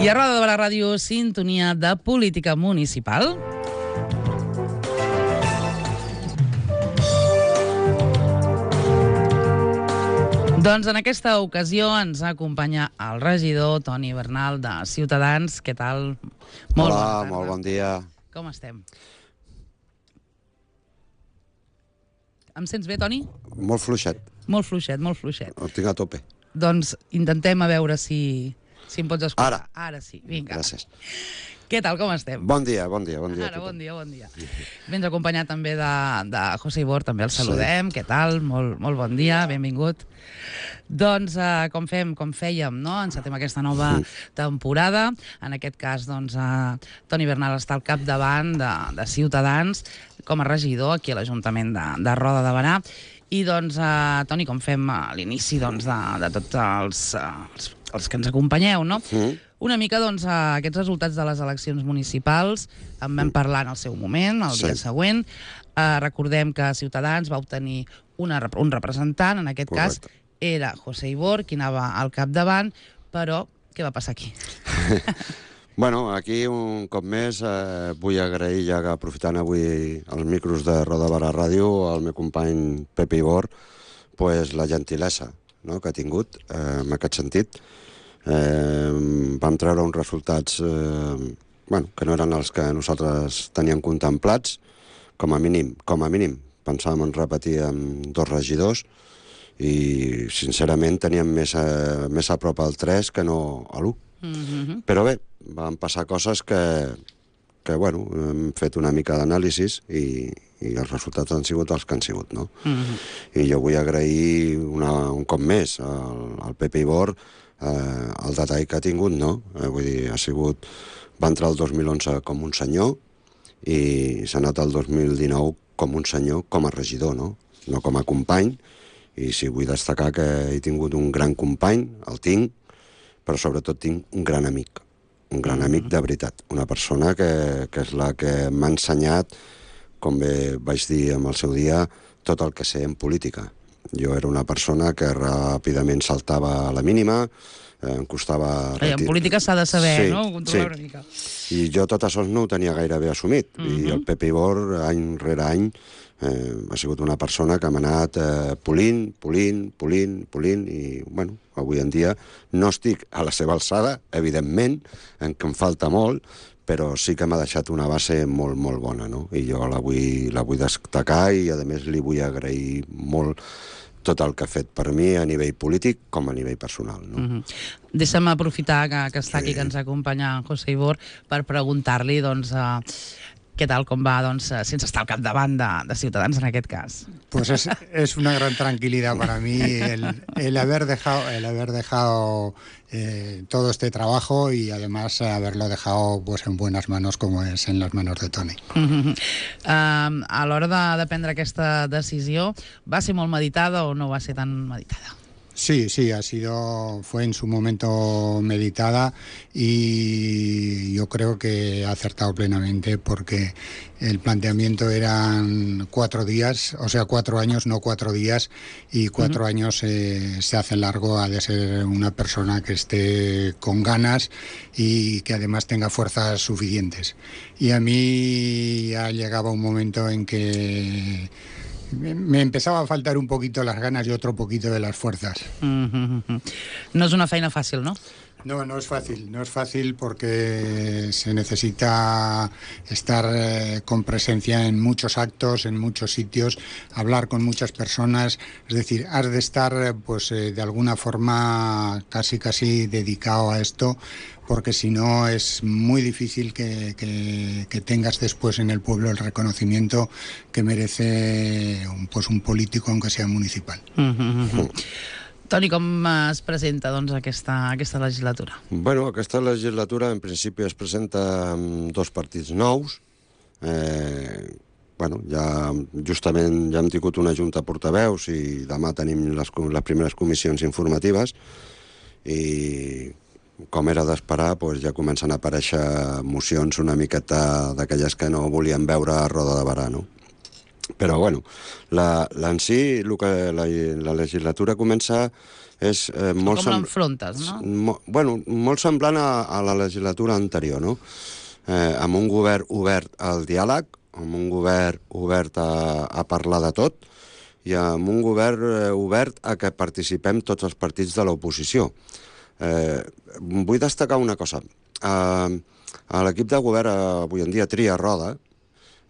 I a Roda de Barà Ràdio, sintonia de política municipal. Doncs en aquesta ocasió ens acompanya el regidor Toni Bernal de Ciutadans. Què tal? Hola, molt bon dia. Com estem? Em sents bé, Toni? Molt fluixet. Molt fluixet, molt fluixet. Ho tinc a tope. Doncs intentem a veure si em pots escoltar. Ara sí, vinga. Gràcies. Què tal, com estem? Bon dia, bon dia. Ara, bon dia. Vens acompanyat també de José Ibor, també el saludem. Sí. Què tal? Molt bon dia, benvingut. Doncs, com fèiem, no? Encetem aquesta nova temporada. En aquest cas, doncs, Toni Bernal està al capdavant de Ciutadans com a regidor aquí a l'Ajuntament de Roda de Barà. I, doncs, Toni, com fem a l'inici de tots els que ens acompanyeu, no? Una mica, doncs, aquests resultats de les eleccions municipals en vam parlar en el seu moment, el dia següent. Recordem que Ciutadans va obtenir un representant, en aquest cas era José Ibor, qui anava al capdavant, però què va passar aquí? Bueno, aquí un cop més vull agrair, ja que aprofitant avui els micros de Roda de Barà Ràdio, al meu company Pepe Ibor, la gentilesa que ha tingut en aquest sentit. Vam treure uns resultats que no eren els que nosaltres teníem contemplats, com a mínim pensàvem en repetir amb 2 regidors i sincerament teníem més a prop al 3 que no a l'1. Però bé, van passar coses que hem fet una mica d'anàlisis i els resultats han sigut els que han sigut, no? I jo vull agrair un cop més al Pepe Ibor el detall que ha tingut, no? Vull dir, va entrar el 2011 com un senyor i s'ha anat el 2019 com un senyor, com a regidor, no com a company. I sí, vull destacar que he tingut un gran company, el tinc, però sobretot tinc un gran amic de veritat, una persona que és la que m'ha ensenyat, com bé vaig dir en el seu dia, tot el que sé en política. Jo era una persona que ràpidament saltava a la mínima, em costava... En política s'ha de saber, no? Controlar una mica. I jo tot això no ho tenia gairebé assumit. I el Pepe Ibor, any rere any, ha sigut una persona que m'ha anat polint, i, avui en dia no estic a la seva alçada, evidentment, en què em falta molt, però sí que m'ha deixat una base molt, molt bona, no? I jo la vull destacar i, a més, li vull agrair molt tot el que ha fet per mi a nivell polític com a nivell personal, no? Deixa'm aprofitar que està aquí, que ens acompanya José Ibor, per preguntar-li, doncs, què tal, com va, doncs, sense estar al capdavant de Ciutadans en aquest cas. Pues es una gran tranquilidad para mí el haber dejado todo este trabajo y además haberlo dejado pues en buenas manos, como es en las manos de Toni. A l'hora de prendre aquesta decisió, va ser molt meditada o no va ser tan meditada? Sí, fue en su momento meditada y yo creo que ha acertado plenamente, porque el planteamiento eran 4 días, o sea, 4 años, no 4 días, y 4 años se hace largo. Ha de ser una persona que esté con ganas y que además tenga fuerzas suficientes. Y a mí ya llegaba un momento en que me empezaba a faltar un poquito las ganas y otro poquito de las fuerzas. No és una feina fàcil, no? No es fácil porque se necesita estar con presencia en muchos actos, en muchos sitios, hablar con muchas personas, es decir, has de estar pues de alguna forma casi dedicado a esto, porque si no es muy difícil que tengas después en el pueblo el reconocimiento que merece un político, aunque sea municipal. Toni, com es presenta, doncs, aquesta legislatura? Bueno, aquesta legislatura en principi es presenta amb 2 partits nous. Justament ja hem tingut una junta portaveus i demà tenim les primeres comissions informatives i, com era d'esperar, ja comencen a aparèixer mocions una miqueta d'aquelles que no volien veure a Roda de Barà, no? Però, bueno, en si, el que la legislatura comença és molt... Com l'enfrontes, no? Molt semblant a la legislatura anterior, no? Amb un govern obert al diàleg, amb un govern obert a parlar de tot, i amb un govern obert a que participem tots els partits de l'oposició. Vull destacar una cosa. L'equip de govern avui en dia tria roda,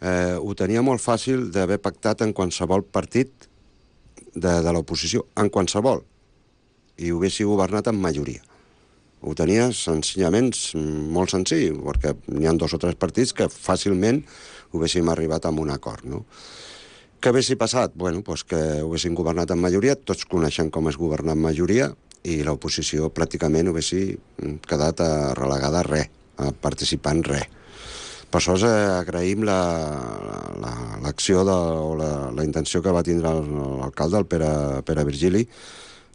ho tenia molt fàcil d'haver pactat en qualsevol partit de l'oposició, en qualsevol, i ho haguessi governat en majoria. Ho tenia senzillament molt senzill, perquè n'hi ha 2 o 3 partits que fàcilment ho haguéssim arribat a un acord, no? Què haguessi passat? Bueno, doncs que ho haguessin governat en majoria, tots coneixen com és governar en majoria, i l'oposició pràcticament ho haguessi quedat relegada a res, a participar en res. Per això agraïm l'acció o la intenció que va tindre l'alcalde, el Pere Virgili,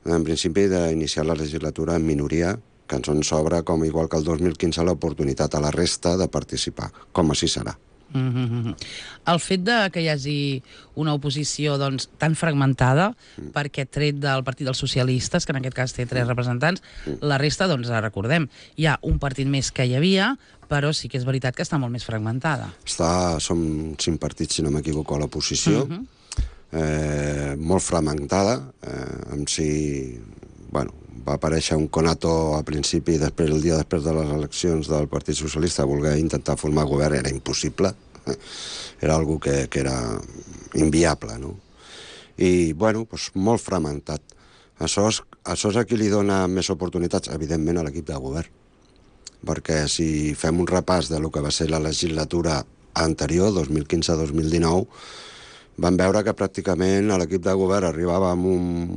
en principi d'iniciar la legislatura en minoria, que ens sobra, com igual que el 2015, l'oportunitat a la resta de participar, com així serà. El fet que hi hagi una oposició tan fragmentada, perquè tret del Partit dels Socialistes, que en aquest cas té 3 representants, la resta, recordem, hi ha un partit més que hi havia, però sí que és veritat que està molt més fragmentada. Som 5 partits, si no m'equivoco, a l'oposició, molt fragmentada, amb si... va aparèixer un conato a principi, el dia després de les eleccions del Partit Socialista, voler intentar formar govern era impossible, era algo que era inviable, no? I, molt fragmentat. Això és a qui li dona més oportunitats, evidentment, a l'equip de govern. Perquè si fem un repàs de lo que va ser la legislatura anterior, 2015-2019, vam veure que pràcticament l'equip de govern arribava amb un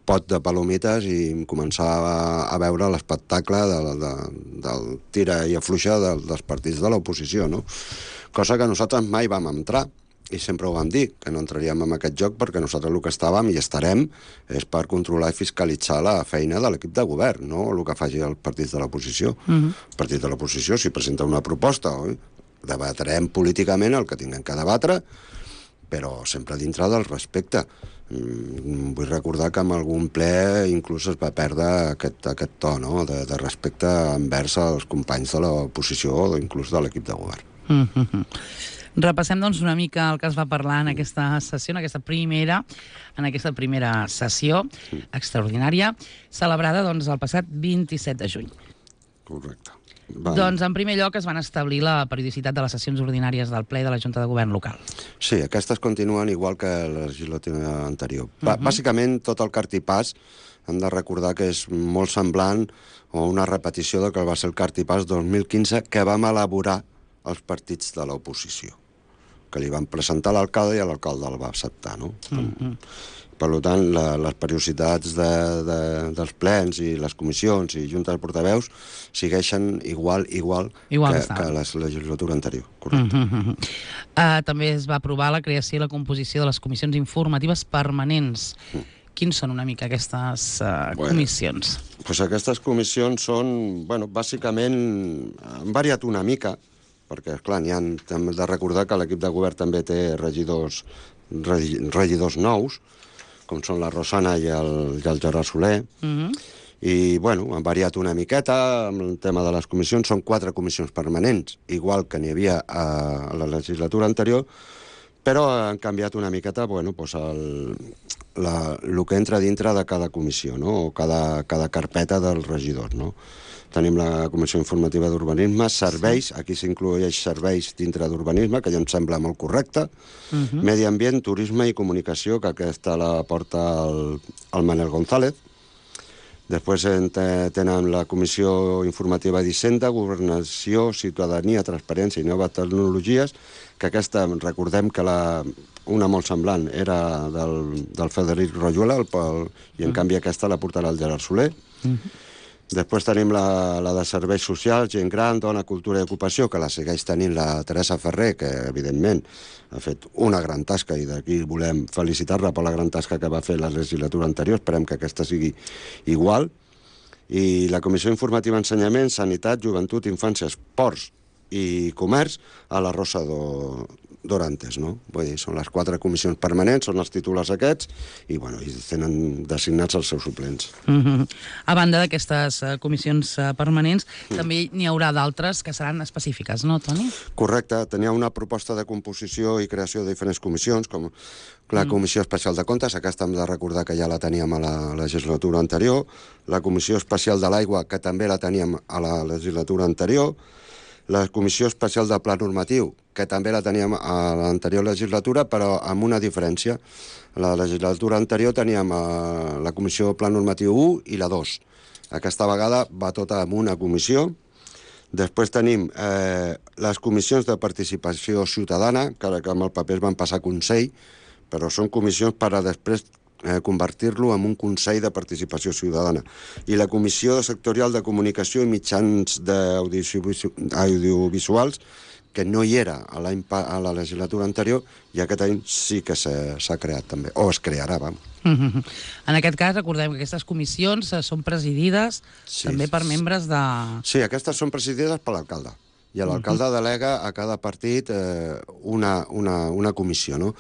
pot de palomites i començava a veure l'espectacle del tira i afluixa dels partits de l'oposició, no? Cosa que nosaltres mai vam entrar, i sempre ho vam dir, que no entraríem en aquest joc perquè nosaltres el que estàvem i estarem és per controlar i fiscalitzar la feina de l'equip de govern, no el que faci els partits de l'oposició. El partit de l'oposició, si presenta una proposta, debatrem políticament el que tinguem que debatre, però sempre dintre del respecte. Vull recordar que en algun ple inclús es va perdre aquest to, no?, de respecte envers els companys de l'oposició o inclús de l'equip de govern. Repassem una mica el que es va parlar en aquesta sessió, en aquesta primera sessió extraordinària, celebrada el passat 27 de juny. Correcte. En primer lloc es van establir la periodicitat de les sessions ordinàries del ple de la Junta de Govern local. Sí, aquestes continuen igual que la legislatura anterior. Bàsicament, tot el cartipàs hem de recordar que és molt semblant o una repetició del que va ser el cartipàs 2015 que vam elaborar els partits de l'oposició, que li van presentar a l'alcalde i l'alcalde el va acceptar, no? Per tant, les periodicitats dels plens i les comissions i juntes de portaveus segueixen igual que la legislatura anterior. Correcte. També es va aprovar la creació i la composició de les comissions informatives permanents. Quins són una mica aquestes comissions? Aquestes comissions són, bàsicament, han variat una mica, perquè, esclar, hem de recordar que l'equip de govern també té regidors nous, com són la Rosana i el Gerard Soler, i, han variat una miqueta amb el tema de les comissions. Són 4 comissions permanents, igual que n'hi havia a la legislatura anterior, però han canviat una miqueta, el que entra dintre de cada comissió, no?, o cada carpeta dels regidors, no? Tenim la Comissió Informativa d'Urbanisme, serveis, aquí s'inclueix serveis dintre d'urbanisme, que ja em sembla molt correcte, medi ambient, turisme i comunicació, que aquesta la porta el Manel González. Després tenen la Comissió Informativa d'Hisenda, Governació, Ciutadania, Transparència i Noves Tecnologies, que aquesta, recordem que una molt semblant era del Frederic Royuela, i en canvi aquesta la portarà el Gerard Soler. Després tenim la de serveis socials, gent gran, dona, cultura i ocupació, que la segueix tenint la Teresa Ferrer, que evidentment ha fet una gran tasca i d'aquí volem felicitar-la per la gran tasca que va fer la legislatura anterior. Esperem que aquesta sigui igual. I la Comissió Informativa Ensenyament, Sanitat, Joventut, Infància, Esports i Comerç a la Rosa d'Orantes, no? Vull dir, són les 4 comissions permanents, són els titulars aquests, i, bueno, i tenen designats els seus suplents. A banda d'aquestes comissions permanents, també n'hi haurà d'altres que seran específiques, no, Toni? Correcte. Tenia una proposta de composició i creació de diferents comissions, com la Comissió Especial de Comptes, aquesta hem de recordar que ja la teníem a la legislatura anterior, la Comissió Especial de l'Aigua, que també la teníem a la legislatura anterior, la Comissió Especial de Pla Normatiu, que també la teníem a l'anterior legislatura, però amb una diferència. A la legislatura anterior teníem la Comissió Pla Normatiu 1 i la 2. Aquesta vegada va tota en una comissió. Després tenim les comissions de participació ciutadana, que amb el paper es van passar a Consell, però són comissions per a després convertir-lo en un Consell de Participació Ciutadana. I la Comissió Sectorial de Comunicació i Mitjans Audiovisuals, que no hi era a la legislatura anterior, i aquest any sí que s'ha creat també, o es crearà, vam. En aquest cas, recordem que aquestes comissions són presidides també per membres de... Sí, aquestes són presidides per l'alcalde. I l'alcalde delega a cada partit una comissió, no?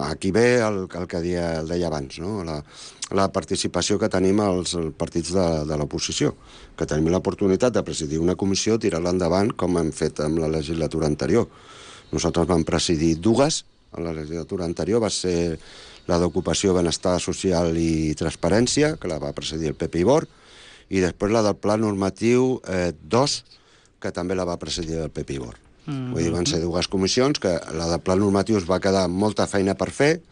Aquí ve el que deia abans, no? La participació que tenim als partits de l'oposició, que tenim l'oportunitat de presidir una comissió, tirar-la endavant, com hem fet amb la legislatura anterior. Nosaltres vam presidir 2, a la legislatura anterior va ser la d'Ocupació, Benestar Social i Transparència, que la va presidir el Pepe Ibor, i després la del Pla Normatiu 2, que també la va presidir el Pepe Ibor. Vull dir, van ser 2 comissions, que la de Pla Normatiu es va quedar molta feina per fer,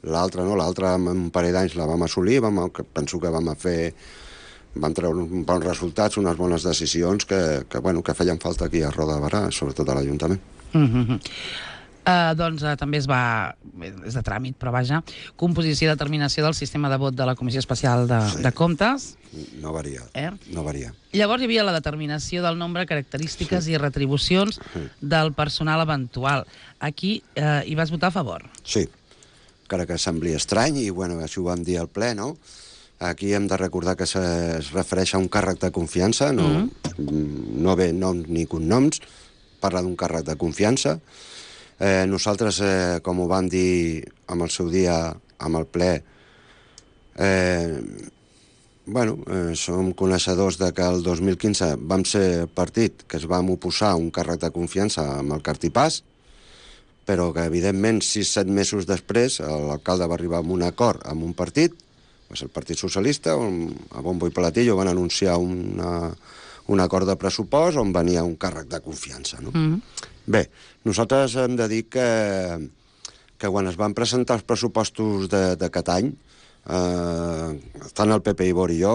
l'altra no, l'altra en un parell d'anys la vam assolir, penso que vam treure uns bons resultats, unes bones decisions que feien falta aquí a Roda de Berà, sobretot a l'Ajuntament. Doncs també és de tràmit, però vaja, composició i determinació del sistema de vot de la Comissió Especial de Comptes. No varia, no varia. Llavors hi havia la determinació del nombre, característiques i retribucions del personal eventual. Aquí hi vas votar a favor. Sí, encara que sembli estrany, i bueno, això ho vam dir al ple, no? Aquí hem de recordar que es refereix a un càrrec de confiança, no ve noms ni cognoms, parla d'un càrrec de confiança. Nosaltres, com ho vam dir en el seu dia amb el ple, som coneixedors de que el 2015 vam ser el partit que es vam oposar a un càrrec de confiança amb el Cartipàs, però que evidentment 6-7 mesos després l'alcalde va arribar a un acord amb un partit, va ser el Partit Socialista, on a bombo i platillo van anunciar un acord de pressupost on venia un càrrec de confiança, no? Bé, nosaltres hem de dir que quan es van presentar els pressupostos d'aquest any, tant el Pepe Ibor i jo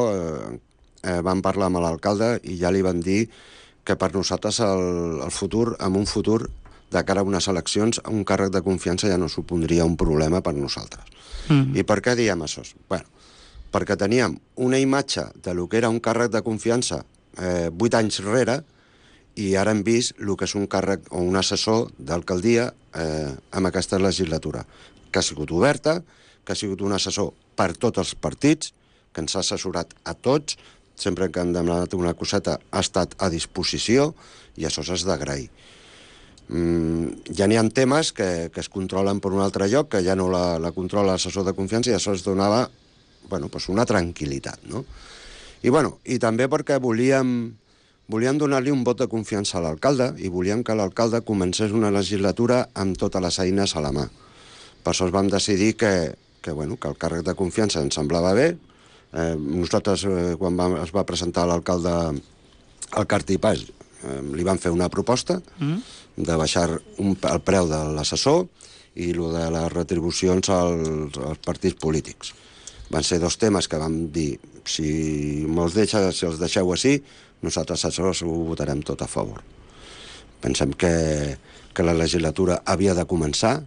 vam parlar amb l'alcalde i ja li vam dir que per nosaltres el futur, en un futur de cara a unes eleccions, un càrrec de confiança ja no supondria un problema per nosaltres. I per què diem això? Bueno, perquè teníem una imatge de lo que era un càrrec de confiança 8 anys rere, i ara hem vist el que és un càrrec o un assessor d'alcaldia en aquesta legislatura, que ha sigut oberta, que ha sigut un assessor per tots els partits, que ens ha assessorat a tots, sempre que han demanat una coseta ha estat a disposició, i això s'ha d'agrair. Ja n'hi ha temes que es controlen per un altre lloc, que ja no la controla l'assessor de confiança, i això es donava una tranquil·litat, no? I també perquè volíem donar-li un vot de confiança a l'alcalde i volíem que l'alcalde comencés una legislatura amb totes les eines a la mà. Per això vam decidir que el càrrec de confiança ens semblava bé. Nosaltres, quan es va presentar l'alcalde al Cartipàs, li vam fer una proposta de baixar el preu de l'assessor i el de les retribucions als partits polítics. Van ser 2 temes que vam dir, si els deixeu així, nosaltres això ho votarem tot a favor. Pensem que la legislatura havia de començar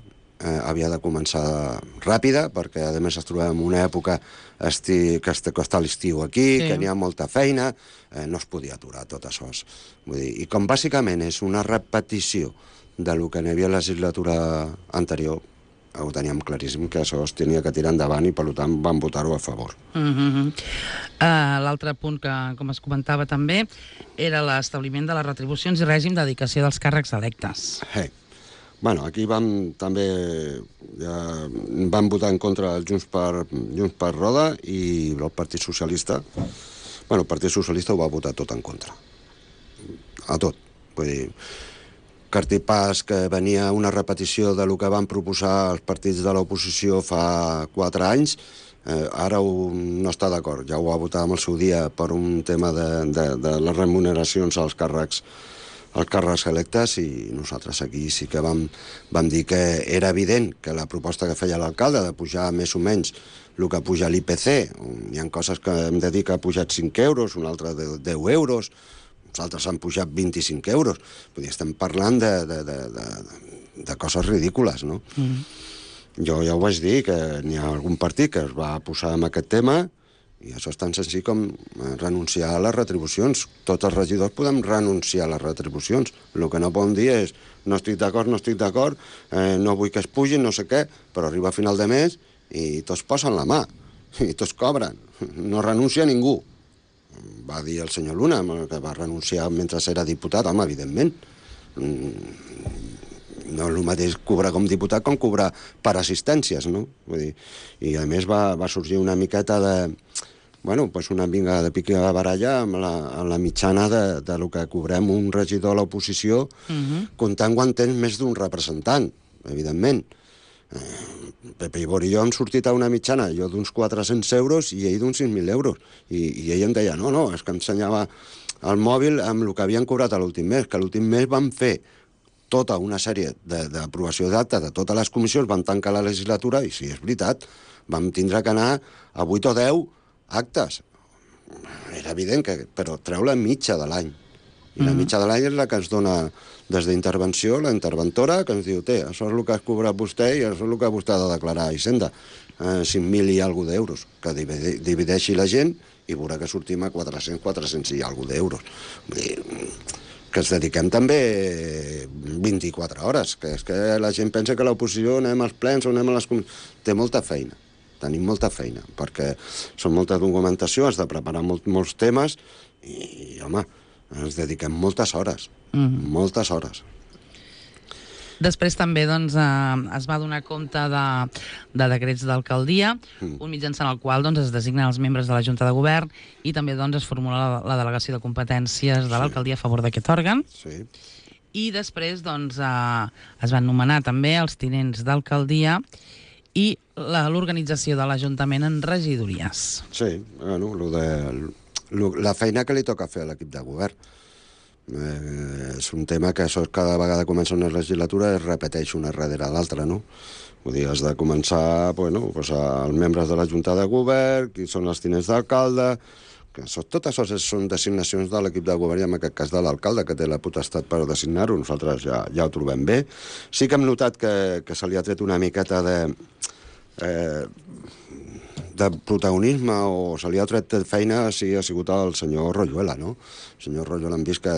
ràpida, perquè a més es trobem en una època que està l'estiu aquí, que n'hi ha molta feina, no es podia aturar tot això. I com bàsicament és una repetició del que n'hi havia a la legislatura anterior, ho teníem claríssim que això es tenia que tirar endavant i per tant vam votar-ho a favor. L'altre punt que, com es comentava també, era l'establiment de les retribucions i règim de dedicació dels càrrecs electes. Bueno, aquí també vam votar en contra el Junts per Roda i el Partit Socialista. Bueno, el Partit Socialista ho va votar tot en contra. A tot. Vull dir, cartipàs que venia una repetició de lo que van proposar els partits de l'oposició fa 4 anys, ara no està d'acord. Ja ho va votar en el seu dia per un tema de les remuneracions als càrrecs electes i nosaltres aquí sí que vam dir que era evident que la proposta que feia l'alcalde de pujar més o menys el que puja l'IPC, hi ha coses que hem de dir que ha pujat 5 euros, una altra de 10 euros, els altres han pujat 25 euros. Vull dir, estem parlant de coses ridícules, no? Jo ja ho vaig dir, que n'hi ha algun partit que es va posar en aquest tema i això és tan senzill com renunciar a les retribucions. Tots els regidors podem renunciar a les retribucions. El que no podem dir és no estic d'acord, no vull que es pugin, no sé què, però arriba a final de mes i tots posen la mà i tots cobren. No renuncia ningú. Va dir el senyor Luna, que va renunciar mentre era diputat, home, evidentment. No és el mateix cobrar com diputat com cobrar per assistències, no? Vull dir, i a més va sorgir una miqueta una mica de pica de baralla amb la mitjana de lo que cobrem un regidor a l'oposició, comptant quan tens més d'un representant, evidentment. Pepe Ibor i jo hem sortit a una mitjana, jo d'uns 400 euros i ell d'uns 6.000 euros. I ell em deia, no, és que em ensenyava el mòbil amb el que havien cobrat a l'últim mes, que l'últim mes van fer tota una sèrie d'aprovació d'actes de totes les comissions, van tancar la legislatura i sí, és veritat, vam tindre que anar a 8 o 10 actes. Era evident però treu la mitja de l'any. I la mitja de l'any és la que ens dona des d'intervenció, la interventora, que ens diu, això és el que has cobrat vostè i això és el que vostè ha de declarar a Hisenda. 5.000 i alguna d'euros. Que divideixi la gent i veurà que sortim a 400 i alguna d'euros. Vull dir, que ens dediquem també 24 hores, que és que la gent pensa que l'oposició anem als plens o anem a les comissions. Té molta feina. Tenim molta feina, perquè són molta documentació, has de preparar molts temes i, home, ens dediquem moltes hores, moltes hores. Després també es va donar compte de decrets d'alcaldia, un mitjançant el qual es designen els membres de la Junta de Govern i també es formula la delegació de competències de l'alcaldia a favor d'aquest òrgan. Sí. I després es van nomenar també els tinents d'alcaldia i l'organització de l'Ajuntament en regidories. Sí, la feina que li toca fer a l'equip de govern. És un tema que això cada vegada comença una legislatura es repeteix una darrere l'altra, no? Vull dir, has de començar els membres de la Junta de Govern, qui són els tinents d'alcalde, tot això són designacions de l'equip de govern i en aquest cas de l'alcalde, que té la potestat per designar-ho. Nosaltres ja ho trobem bé. Sí que hem notat que se li ha tret una miqueta de protagonisme o se li ha tret de feina ha sigut el senyor Royuela, no? El senyor Royuela hem vist que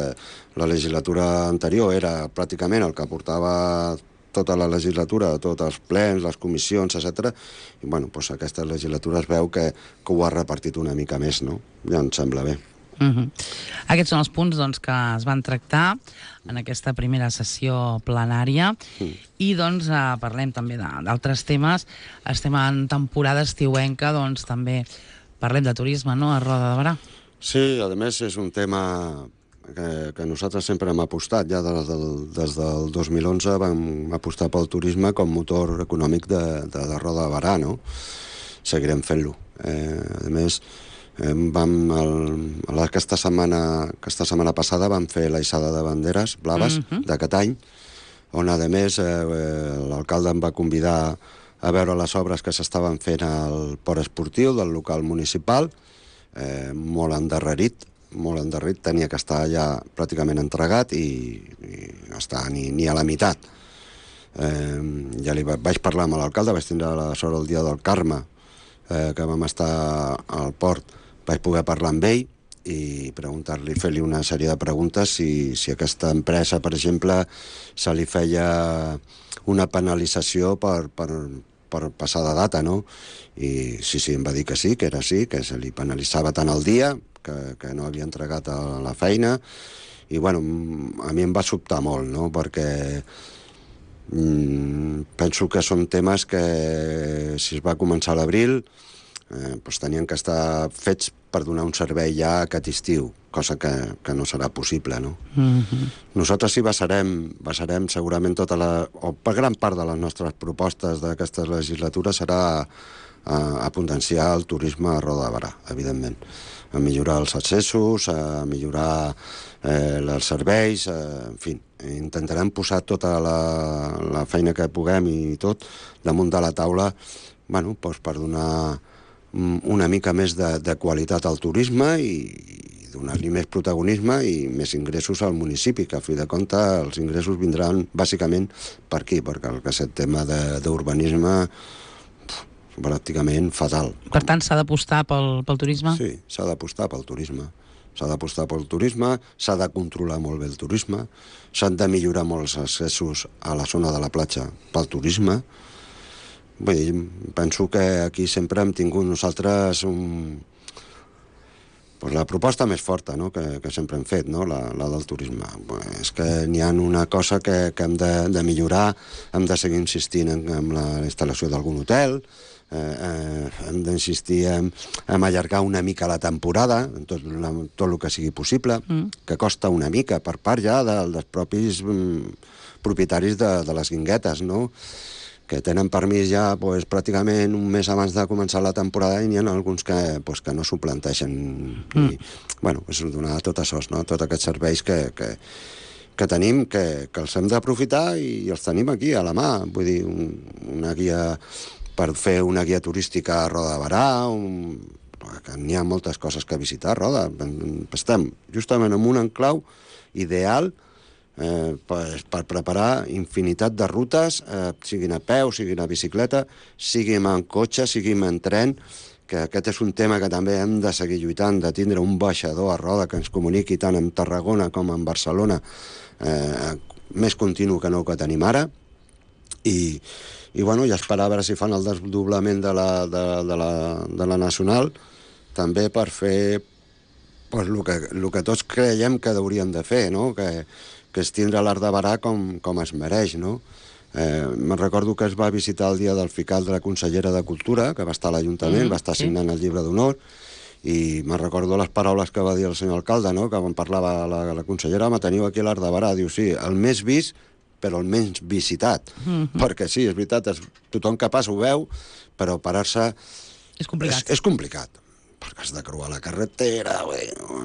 la legislatura anterior era pràcticament el que portava tota la legislatura, tots els plens, les comissions, etc. I, aquesta legislatura es veu que ho ha repartit una mica més, no? Ja em sembla bé. Aquests són els punts que es van tractar en aquesta primera sessió plenària i parlem també d'altres temes. Estem en temporada estiuenca, també parlem de turisme, no?, a Roda de Berà. Sí, a més és un tema que nosaltres sempre hem apostat. Ja des del 2011 vam apostar pel turisme com motor econòmic de Roda de Berà, no? Seguirem fent-lo. A més, aquesta setmana passada vam fer l'aixada de banderes blaves d'aquest any, on a més l'alcalde em va convidar a veure les obres que s'estaven fent al port esportiu del local municipal, molt endarrerit, tenia que estar ja pràcticament entregat i no està ni a la meitat. Ja vaig parlar amb l'alcalde, vaig tindre la sort el dia del Carme, que vam estar al port, vaig poder parlar amb ell i preguntar-li, fer-li una sèrie de preguntes si aquesta empresa, per exemple, se li feia una penalització per passar de data, no? I sí, em va dir que sí, que era així, que se li penalitzava tant el dia, que no havia entregat a la feina, i bueno, a mi em va sobtar molt, no? Perquè penso que són temes que si es va començar a l'abril doncs tenien que estar fets per donar un servei ja aquest estiu, cosa que no serà possible, no? Nosaltres sí basarem segurament o per gran part de les nostres propostes d'aquesta legislatura serà a potenciar el turisme a Roda de Berà, evidentment. A millorar els accessos, a millorar els serveis, en fi, intentarem posar tota la feina que puguem i tot damunt de la taula, bueno, doncs per donar una mica més de qualitat al turisme i donar-li més protagonisme i més ingressos al municipi, que a fi de compte els ingressos vindran bàsicament per aquí, perquè aquest tema d'urbanisme pràcticament fatal. Per tant, s'ha d'apostar pel turisme? Sí, s'ha d'apostar pel turisme. S'ha d'apostar pel turisme, s'ha de controlar molt bé el turisme, s'han de millorar molt els accessos a la zona de la platja pel turisme. Vull dir, penso que aquí sempre hem tingut nosaltres la proposta més forta, no?, que sempre hem fet, no?, la del turisme. És que n'hi ha una cosa que hem de millorar, hem de seguir insistint en la instal·lació d'algun hotel, hem d'insistir en allargar una mica la temporada, en tot el que sigui possible, que costa una mica per part ja dels propis propietaris de les guinguetes, no?, que tenen permís ja pràcticament un mes abans de començar la temporada i n'hi ha alguns que no s'ho planteixen. I, bueno, és donar tot això, no?, tots aquests serveis que tenim, que els hem d'aprofitar i els tenim aquí, a la mà. Vull dir, una guia per fer una guia turística a Roda de Berà, que n'hi ha moltes coses que visitar a Roda. Estem justament en un enclau ideal per preparar infinitat de rutes, siguin a peu, siguin a bicicleta, siguin en cotxe, siguin en tren, que aquest és un tema que també hem de seguir lluitant, de tindre un baixador a Roda que ens comuniqui tant amb Tarragona com amb Barcelona, més continu que no que tenim ara, i bueno, ja esperar a veure si fan el desdoblament de la Nacional, també per fer el que tots creiem que hauríem de fer, no?, que és tindre l'Arc de Berà com es mereix, no? Me'n recordo que es va visitar el dia del FICAL de la consellera de Cultura, que va estar a l'Ajuntament, va estar signant el llibre d'honor, i me'n recordo les paraules que va dir el senyor alcalde, no?, que quan parlava la consellera, teniu aquí l'Arc de Berà, diu, sí, el més vist, però el menys visitat. Perquè sí, és veritat, tothom que passa ho veu, però parar-se... És complicat. És complicat. Perquè has de creuar la carretera,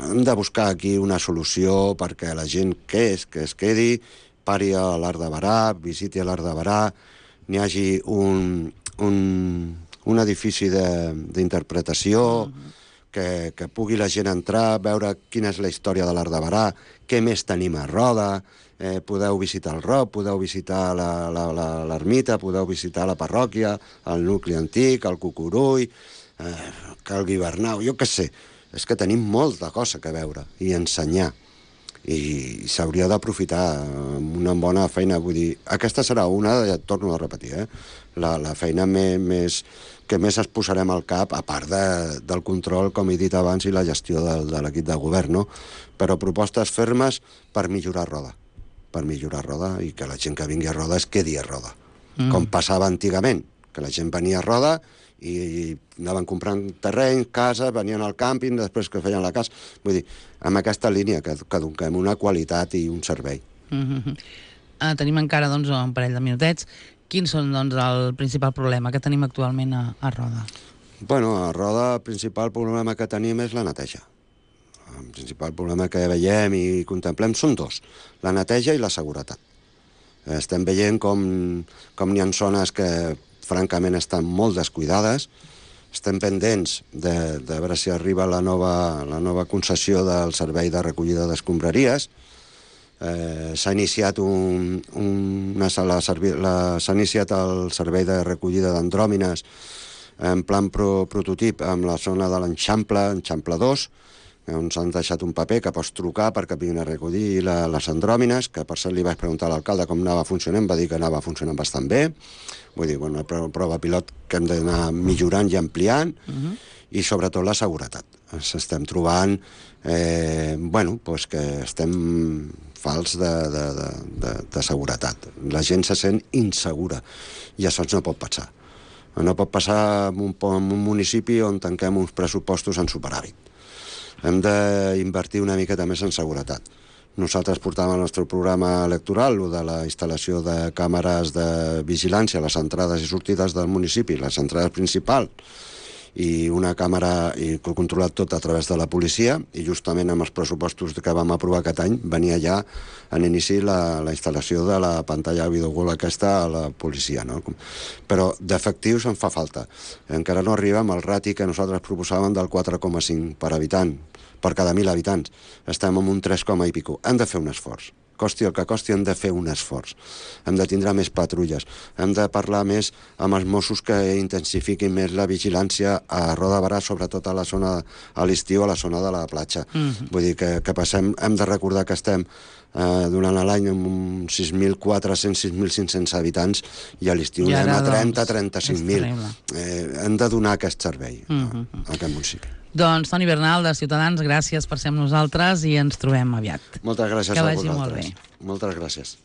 hem de buscar aquí una solució perquè la gent que es quedi, pari a l'Arc de Berà, visiti l'Arc de Berà, n'hi hagi un edifici d'interpretació, que pugui la gent entrar, veure quina és la història de l'Arc de Berà, què més tenim a Roda, podeu visitar el Roc, podeu visitar l'ermita, podeu visitar la parròquia, el nucli antic, el Cucurull, Cal Guibernau, jo què sé. És que tenim molta cosa que veure i ensenyar. I s'hauria d'aprofitar una bona feina. Vull dir, aquesta serà una, ja et torno a repetir, la feina que més es posarem al cap, a part del control, com he dit abans, i la gestió de l'equip de govern, no? Però propostes fermes per millorar Roda. Per millorar Roda i que la gent que vingui a Roda es quedi a Roda. Com passava antigament, que la gent venia a Roda i anaven comprant terreny, casa, venien al càmping, després que feien la casa. Vull dir, amb aquesta línia que donem una qualitat i un servei. Tenim encara un parell de minutets. Quins són el principal problema que tenim actualment a Roda? Bueno, a Roda el principal problema que tenim és la neteja. El principal problema que veiem i contemplem són dos, la neteja i la seguretat. Estem veient com n'hi ha zones que francament estan molt descuidades. Estem pendents de veure si arriba la nova concessió del servei de recollida d'escombraries. S'ha iniciat s'ha iniciat el servei de recollida d'andròmines en plan prototip amb la zona de l'Eixample, Eixample 2, on s'han deixat un paper que pots trucar perquè vinguin a recollir les andròmines, que per cert li vaig preguntar a l'alcalde com anava funcionant, va dir que anava funcionant bastant bé. Vull dir, una prova pilot que hem d'anar millorant i ampliant, i sobretot la seguretat. Ens estem trobant que estem fals de seguretat. La gent se sent insegura i això no pot passar. No pot passar en un municipi on tanquem uns pressupostos en superàvit. Hem d'invertir una miqueta més en seguretat. Nosaltres portàvem el nostre programa electoral, el de la instal·lació de càmeres de vigilància a les entrades i sortides del municipi, les entrades principals, i una càmera controlat tot a través de la policia, i justament amb els pressupostos que vam aprovar aquest any venia ja en inici la instal·lació de la pantalla videogol aquesta a la policia, no? Però d'efectius en fa falta. Encara no arribem al rati que nosaltres proposàvem del 4,5 per habitant, per cada 1.000 habitants. Estem en un 3, i pico. Hem de fer un esforç. Costi el que costi, hem de fer un esforç. Hem de tindre més patrulles. Hem de parlar més amb els Mossos que intensifiquin més la vigilància a Roda de Berà, sobretot a la zona, a l'estiu, a la zona de la platja. Vull dir que passem, hem de recordar que estem durant l'any amb uns 6.400, 6.500 habitants, i a l'estiu anem a 30-35.000. Hem de donar aquest servei a aquest municipi. Doncs Toni Bernal, de Ciutadans, gràcies per ser amb nosaltres i ens trobem aviat. Moltes gràcies a vosaltres. Que vagi molt bé. Moltes gràcies.